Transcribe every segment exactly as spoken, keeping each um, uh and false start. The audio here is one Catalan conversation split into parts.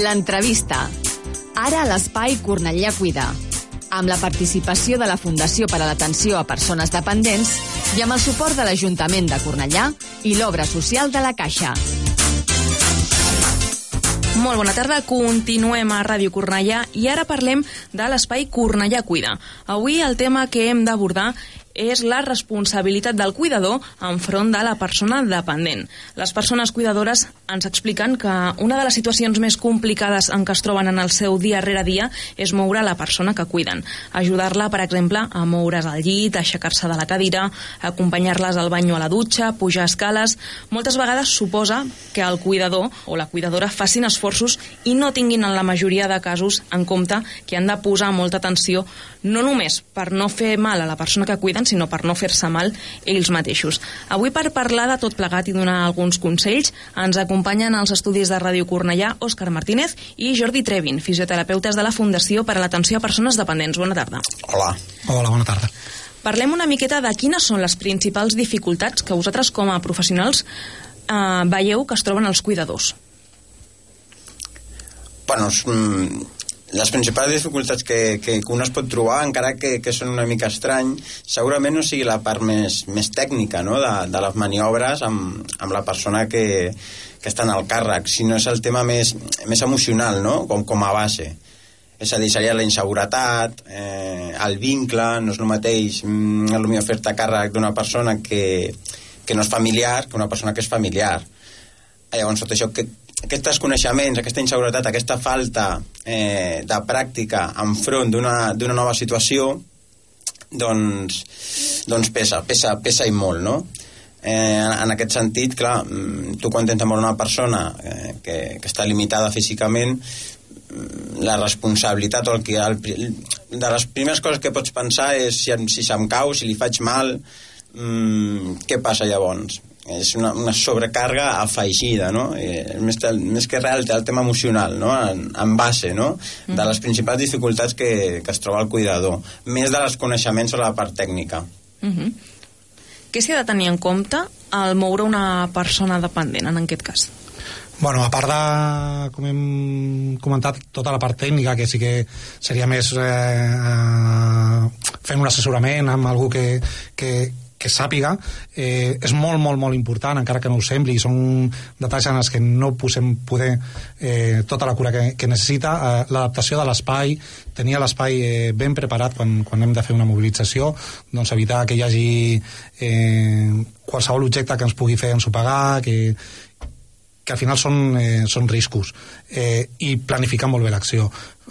L'entrevista. Ara a l'Espai Cornellà Cuida. Amb la participació de la Fundació per a l'Atenció a Persones Dependents i amb el suport de l'Ajuntament de Cornellà i l'Obra Social de la Caixa. Molt bona tarda, continuem a Ràdio Cornellà i ara parlem de l'Espai Cornellà Cuida. Avui el tema que hem d'abordar és la responsabilitat del cuidador enfront de la persona dependent. Les persones cuidadores ens expliquen que una de les situacions més complicades en què es troben en el seu dia rere dia és moure la persona que cuiden. Ajudar-la, per exemple, a moure's al llit, a aixecar-se de la cadira, acompanyar-les al bany o a la dutxa, pujar escales. Moltes vegades suposa que el cuidador o la cuidadora facin esforços i no tinguin en la majoria de casos en compte que han de posar molta atenció no només per no fer mal a la persona que cuiden, sinó per no fer-se mal ells mateixos. Avui, per parlar de tot plegat i donar alguns consells, ens acompanyen als estudis de Ràdio Cornellà Òscar Martínez i Jordi Trevin, fisioterapeutes de la Fundació per a l'Atenció a Persones Dependents. Bona tarda. Hola. Hola, bona tarda. Parlem una miqueta de quines són les principals dificultats que vosaltres com a professionals eh, veieu que es troben els cuidadors. Bueno, les principals dificultats que, que, que un es pot trobar, encara que, que són una mica estrany, segurament no sigui la part més, més tècnica, no?, de, de les maniobres amb, amb la persona que, que està en el càrrec, sinó és el tema més, més emocional, no?, com, com a base. És a dir, seria la inseguretat, eh, el vincle, no és el mateix mm, potser fer-te càrrec d'una persona que, que no és familiar que una persona que és familiar. Llavors, tot això, que, aquests coneixements, aquesta inseguretat, aquesta falta eh, de pràctica enfront d'una, d'una nova situació, doncs, doncs pesa, pesa, pesa i molt, no? Eh, en aquest sentit, clar, tu quan tens moure una persona eh, que, que està limitada físicament, la responsabilitat o el que, el, de les primeres coses que pots pensar és si, si se'm cau, si li faig mal, mmm, què passa llavors? És una, una sobrecàrrega afegida, no? Eh, més, més que res el tema emocional, no? En, en base, no? Mm. De les principals dificultats que, que es troba el cuidador, més de les coneixements sobre la part tècnica. Mm-hmm. Què s'ha de tenir en compte al moure una persona dependent, en aquest cas? Bueno, a part de, com hem comentat, tota la part tècnica, que sí que seria més eh, eh, fent un assessorament amb algú que, que, que sàpiga, eh, és molt, molt, molt important, encara que no ho sembli, són detalls en els que no posem poder eh, tota la cura que, que necessita, eh, l'adaptació de l'espai, tenir l'espai eh, ben preparat quan, quan hem de fer una mobilització, doncs evitar que hi hagi eh, qualsevol objecte que ens pugui fer ensopegar, que que al final són, eh, són riscos, eh, i planificar molt bé l'acció.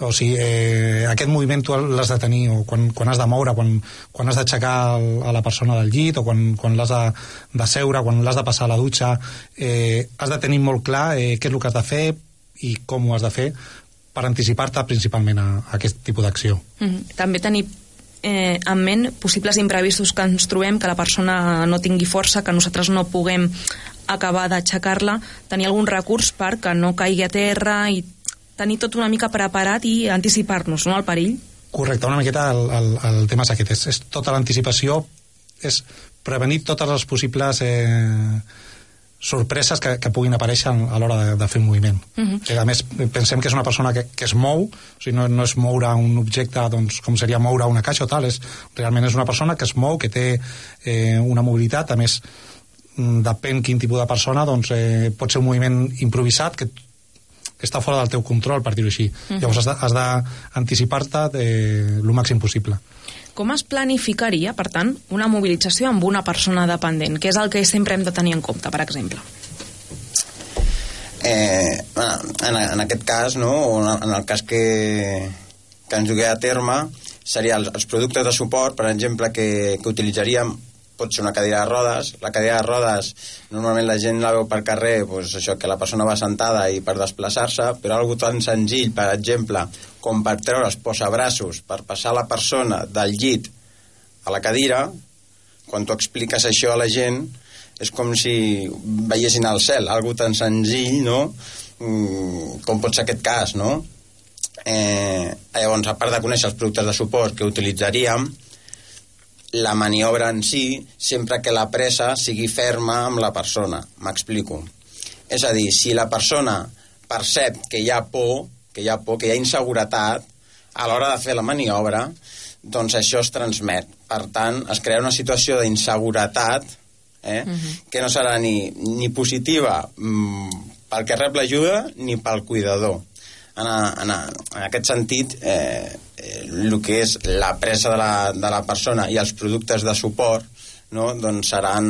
O sigui, eh, aquest moviment tu l'has de tenir, o quan, quan has de moure, quan, quan has d'aixecar a la persona del llit, o quan, quan l'has de, de seure, quan l'has de passar a la dutxa, eh, has de tenir molt clar eh, què és el que has de fer i com ho has de fer per anticipar-te principalment a, a aquest tipus d'acció. Mm-hmm. També tenir eh, en ment possibles imprevistos que ens trobem, que la persona no tingui força, que nosaltres no puguem acabar d'aixecar-la, tenir algun recurs perquè no caigui a terra i tenir tot una mica preparat i anticipar-nos, no?, al perill. Correcte, una miqueta el, el, el tema és aquest, és, és tota l'anticipació, és prevenir totes les possibles eh, sorpreses que, que puguin aparèixer a l'hora de, de fer un moviment. Uh-huh. O sigui, a més, pensem que és una persona que, que es mou, o sigui, no, no és moure un objecte doncs, com seria moure una caixa o tal, és, realment és una persona que es mou, que té eh, una mobilitat, a més depèn quin tipus de persona, doncs eh, pot ser un moviment improvisat que, que està fora del teu control, per dir-ho així. Uh-huh. Llavors has d'anticipar-te el màxim possible. Com es planificaria, per tant, una mobilització amb una persona dependent? Què és el que sempre hem de tenir en compte, per exemple? Eh, en, en aquest cas, no, o en el cas que, que ens dugué a terme, serien els, els productes de suport, per exemple, que, que utilitzaríem. Pot ser una cadira de rodes. La cadira de rodes, normalment la gent la veu per carrer, doncs això, que la persona va sentada i per desplaçar-se, però algo tan senzill, per exemple, com per treure els posabraços, per passar la persona del llit a la cadira, quan tu expliques això a la gent, és com si veiessin al cel, algo tan senzill, no?, com pot ser aquest cas, no? Eh, llavors, a part de conèixer els productes de suport que utilitzaríem, la maniobra en si, sempre que la presa sigui ferma amb la persona. M'explico. És a dir, si la persona percep que hi ha por, que hi ha por, que hi ha inseguretat a l'hora de fer la maniobra, doncs això es transmet. Per tant, es crea una situació d'inseguretat eh, uh-huh. que no serà ni, ni positiva mm, pel que rep l'ajuda ni pel cuidador. En, a, en, a, en aquest sentit, eh, eh, el que és la presa de la, de la persona i els productes de suport, no? Doncs seran,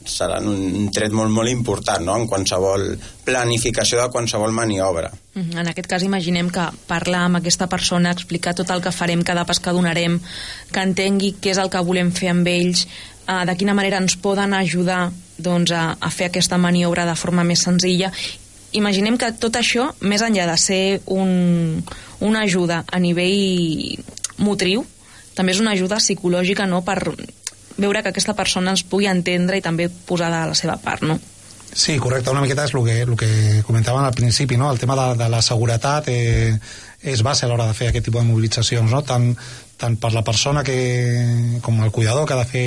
seran un tret molt, molt important, no? En qualsevol planificació de qualsevol maniobra. En aquest cas imaginem que parlar amb aquesta persona, explicar tot el que farem, cada pas que donarem, que entengui què és el que volem fer amb ells, eh, de quina manera ens poden ajudar doncs, a, a fer aquesta maniobra de forma més senzilla. Imaginem que tot això, més enllà de ser un, una ajuda a nivell motriu, també és una ajuda psicològica, no?, per veure que aquesta persona ens pugui entendre i també posar de la seva part, no? Sí, correcte, una miqueta és el que, el que comentàvem al principi, no? El tema de, de la seguretat eh, és base a l'hora de fer aquest tipus de mobilitzacions, no? Tant, tant per la persona que, com el cuidador que ha de fer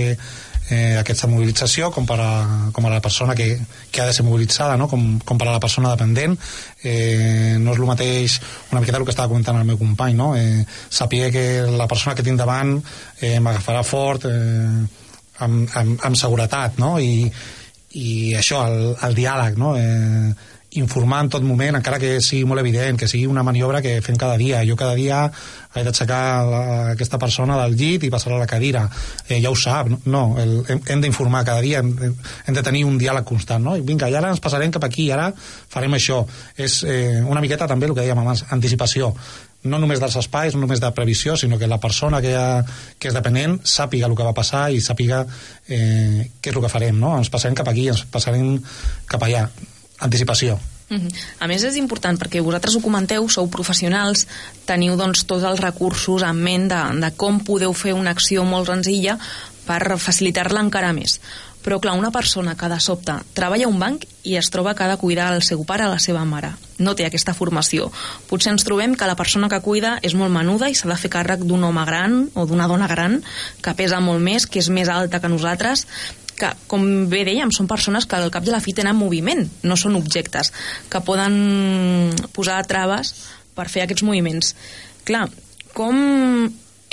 eh, aquesta mobilització, com per a, com a la persona que, que ha de ser mobilitzada, no? Com, com per a la persona dependent. Eh, no és el mateix, una miqueta el que estava comentant el meu company, no? Eh, saber que la persona que tinc davant eh, m'agafarà fort eh, amb, amb, amb seguretat, no? I i això, el, el diàleg, no? Eh, informar en tot moment, encara que sigui molt evident, que sigui una maniobra que fem cada dia. Jo cada dia he d'aixecar la, aquesta persona del llit i passar a la cadira. Eh, ja ho sap, no? El, hem, hem d'informar cada dia, hem, hem de tenir un diàleg constant, no? I vinga, i ara ens passarem cap aquí, i ara farem això. És eh, una miqueta també el que dèiem abans, anticipació. No només dels espais, no només de previsió, sinó que la persona que, ha, que és dependent sàpiga el que va passar i sàpiga eh, què és el que farem, no? Ens passarem cap aquí, ens passarem cap allà. Anticipació. Uh-huh. A més és important perquè vosaltres ho comenteu, sou professionals, teniu doncs tots els recursos en ment de, de com podeu fer una acció molt senzilla per facilitar-la encara més. Però clar, una persona que de sobte treballa a un banc i es troba que ha de cuidar el seu pare o la seva mare, no té aquesta formació. Potser ens trobem que la persona que cuida és molt menuda i s'ha de fer càrrec d'un home gran o d'una dona gran que pesa molt més, que és més alta que nosaltres, que, com bé dèiem, són persones que al cap i a la fi tenen moviment, no són objectes, que poden posar traves per fer aquests moviments. Clar, com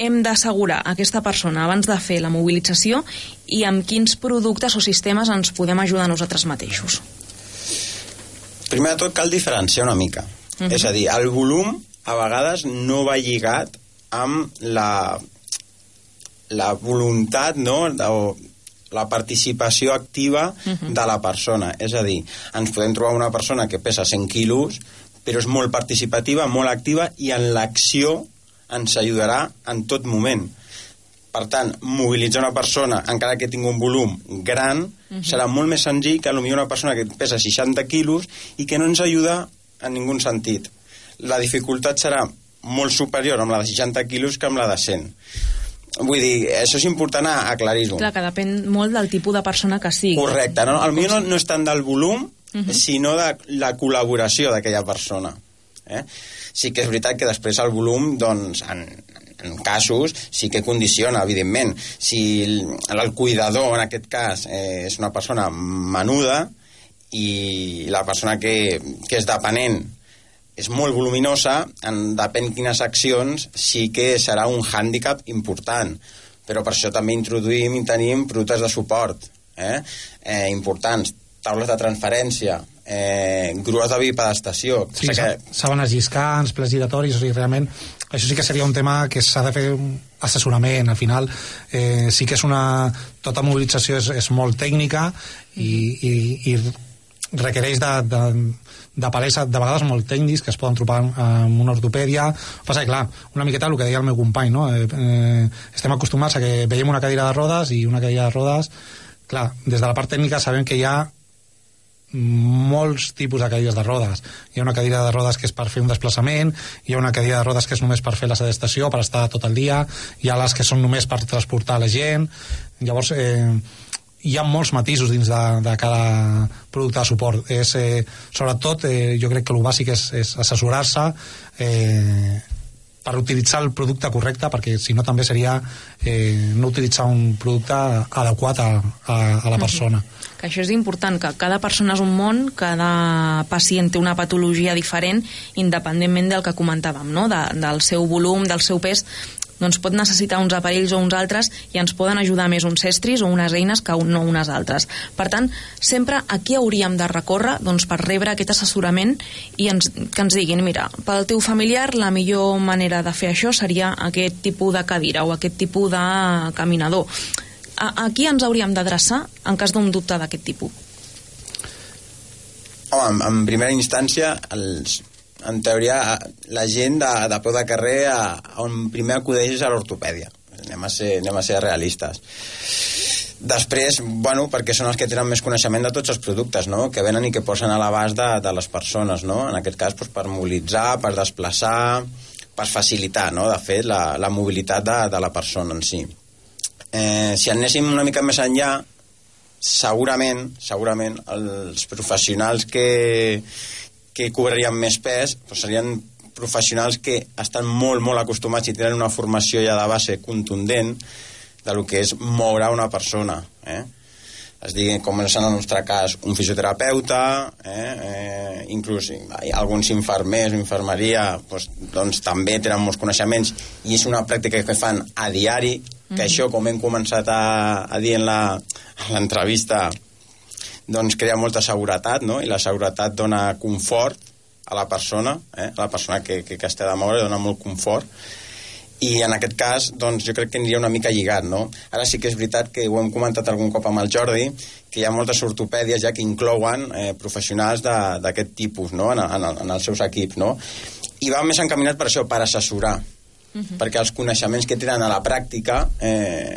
hem d'assegurar aquesta persona abans de fer la mobilització i amb quins productes o sistemes ens podem ajudar a nosaltres mateixos? Primer de tot cal diferenciar una mica. Uh-huh. És a dir, el volum a vegades no va lligat amb la, la voluntat, no?, o la participació activa uh-huh. de la persona. És a dir, ens podem trobar una persona que pesa cent quilos, però és molt participativa, molt activa, i en l'acció ens ajudarà en tot moment. Per tant, mobilitzar una persona, encara que tingui un volum gran, uh-huh. serà molt més senzill que potser una persona que pesa seixanta quilos i que no ens ajuda en ningú sentit. La dificultat serà molt superior amb la de seixanta quilos que amb la de cent. Vull dir, això és important aclarir-ho. Clar, que depèn molt del tipus de persona que sigui. Correcte, no? El millor no, no és tant del volum, uh-huh. sinó de la col·laboració d'aquella persona. Eh? Sí que és veritat que després el volum, doncs, en, en casos, sí que condiciona, evidentment. Si el, el cuidador, en aquest cas, eh, és una persona menuda i la persona que, que és dependent és molt voluminosa, en depèn quines accions, sí que serà un hàndicap important. Però per això també introduïm i tenim productes de suport eh? Eh, importants, taules de transferència, eh, grues de bipedestació. Sí, que... sàbanes lliscants, plats giratoris, o sigui, realment això sí que seria un tema que s'ha de fer un assessorament. Al final eh, sí que és una... tota mobilització és, és molt tècnica i, i, i requereix de, de, de palers de vegades molt tècnics que es poden trobar amb una ortopèdia. Passa que, clar, una miqueta el que deia el meu company, no? Eh, eh, estem acostumats a que veiem una cadira de rodes i una cadira de rodes, clar, des de la part tècnica sabem que hi ha molts tipus de cadires de rodes. Hi ha una cadira de rodes que és per fer un desplaçament, hi ha una cadira de rodes que és només per fer la sedestació, per estar tot el dia, hi ha les que són només per transportar la gent. Llavors eh, hi ha molts matisos dins de, de cada producte de suport. És, eh, sobretot eh, jo crec que el bàsic és, és assessorar-se, eh, per utilitzar el producte correcte, perquè si no també seria eh, no utilitzar un producte adequat a, a, a la persona. Uh-huh. Que això és important, que cada persona és un món, cada pacient té una patologia diferent, independentment del que comentàvem, no? De, del seu volum, del seu pes, doncs pot necessitar uns aparells o uns altres i ens poden ajudar més uns estris o unes eines que no unes altres. Per tant, sempre a qui hauríem de recórrer doncs, per rebre aquest assessorament i ens, que ens diguin, mira, pel teu familiar la millor manera de fer això seria aquest tipus de cadira o aquest tipus de caminador. A, a qui ens hauríem d'adreçar en cas d'un dubte d'aquest tipus? Home, en, en primera instància, els... en teoria, la gent de, de peu de carrer a, on primer acudeix és a l'ortopèdia. Anem a ser, anem a ser realistes. Després, bueno, perquè són els que tenen més coneixement de tots els productes, no?, que venen i que posen a l'abast de, de les persones, no?, en aquest cas doncs, per mobilitzar, per desplaçar, per facilitar, no?, de fet, la, la mobilitat de, de la persona en si. Eh, si anéssim una mica més enllà, segurament, segurament, els professionals que que cobrarien més pes doncs serien professionals que estan molt, molt acostumats i tenen una formació ja de base contundent de lo que és moure una persona. Eh? Es digui, com és en el nostre cas, un fisioterapeuta, eh? Eh, inclús alguns infermers o infermeria doncs, doncs també tenen molts coneixements i és una pràctica que fan a diari, que mm-hmm. això, com hem començat a, a dir en l'entrevista, doncs crea molta seguretat, no? I la seguretat dona confort a la persona, eh? a la persona que, que, que es té de moure, dona molt confort, i en aquest cas doncs jo crec que aniria una mica lligat, no? Ara sí que és veritat que ho hem comentat algun cop amb el Jordi, que hi ha moltes ortopèdies ja que inclouen eh, professionals d'aquest tipus, no? en, en, en els seus equips, no? I va més encaminat per això, per assessorar, uh-huh. perquè els coneixements que tenen a la pràctica eh,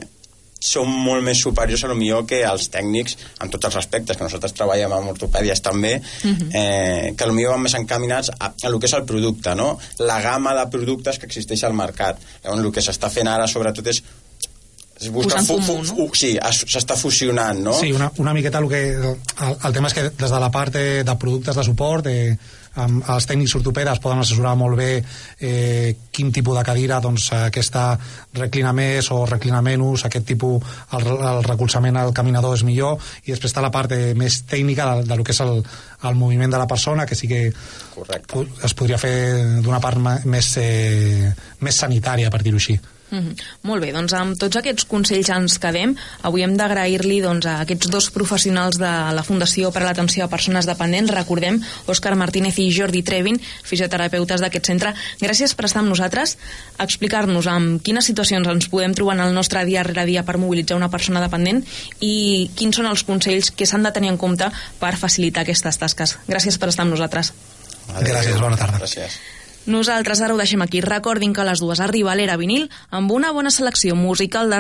són molt més superiors a lo millor que els tècnics en tots els aspectes, que nosaltres treballem amb ortopèdies també, uh-huh. eh, que a lo millor van més encaminats a, a lo que és el producte, no? La gamma de productes que existeix al mercat. Llavors, el que s'està fent ara sobretot és es busca fu, fu, fu, no? Sí, s'està fusionant, no? Sí, una, una miqueta el que el, el tema és que des de la part de, de productes de suport eh, amb els tècnics ortopedes poden assessorar molt bé eh, quin tipus de cadira doncs, aquesta reclina més o reclina menys, aquest tipus el, el recolzament al caminador és millor, i després està la part de, més tècnica de, de lo que és el, el moviment de la persona, que sí que Correcte. Es podria fer d'una part més, eh, més sanitària, per dir-ho així. Mm-hmm. Molt bé, doncs amb tots aquests consells ens quedem. Avui hem d'agrair-li doncs, a aquests dos professionals de la Fundació per a l'Atenció a Persones Dependents, recordem, Òscar Martínez i Jordi Trevin, fisioterapeutes d'aquest centre. Gràcies per estar amb nosaltres, explicar-nos en quines situacions ens podem trobar en el nostre dia rere dia per mobilitzar una persona dependent i quins són els consells que s'han de tenir en compte per facilitar aquestes tasques. Gràcies per estar amb nosaltres. Adéu. Gràcies, bona tarda. Gràcies. Nosaltres ara ho deixem aquí. Recordin que a les dues arriba l'Era Vinil amb una bona selecció musical de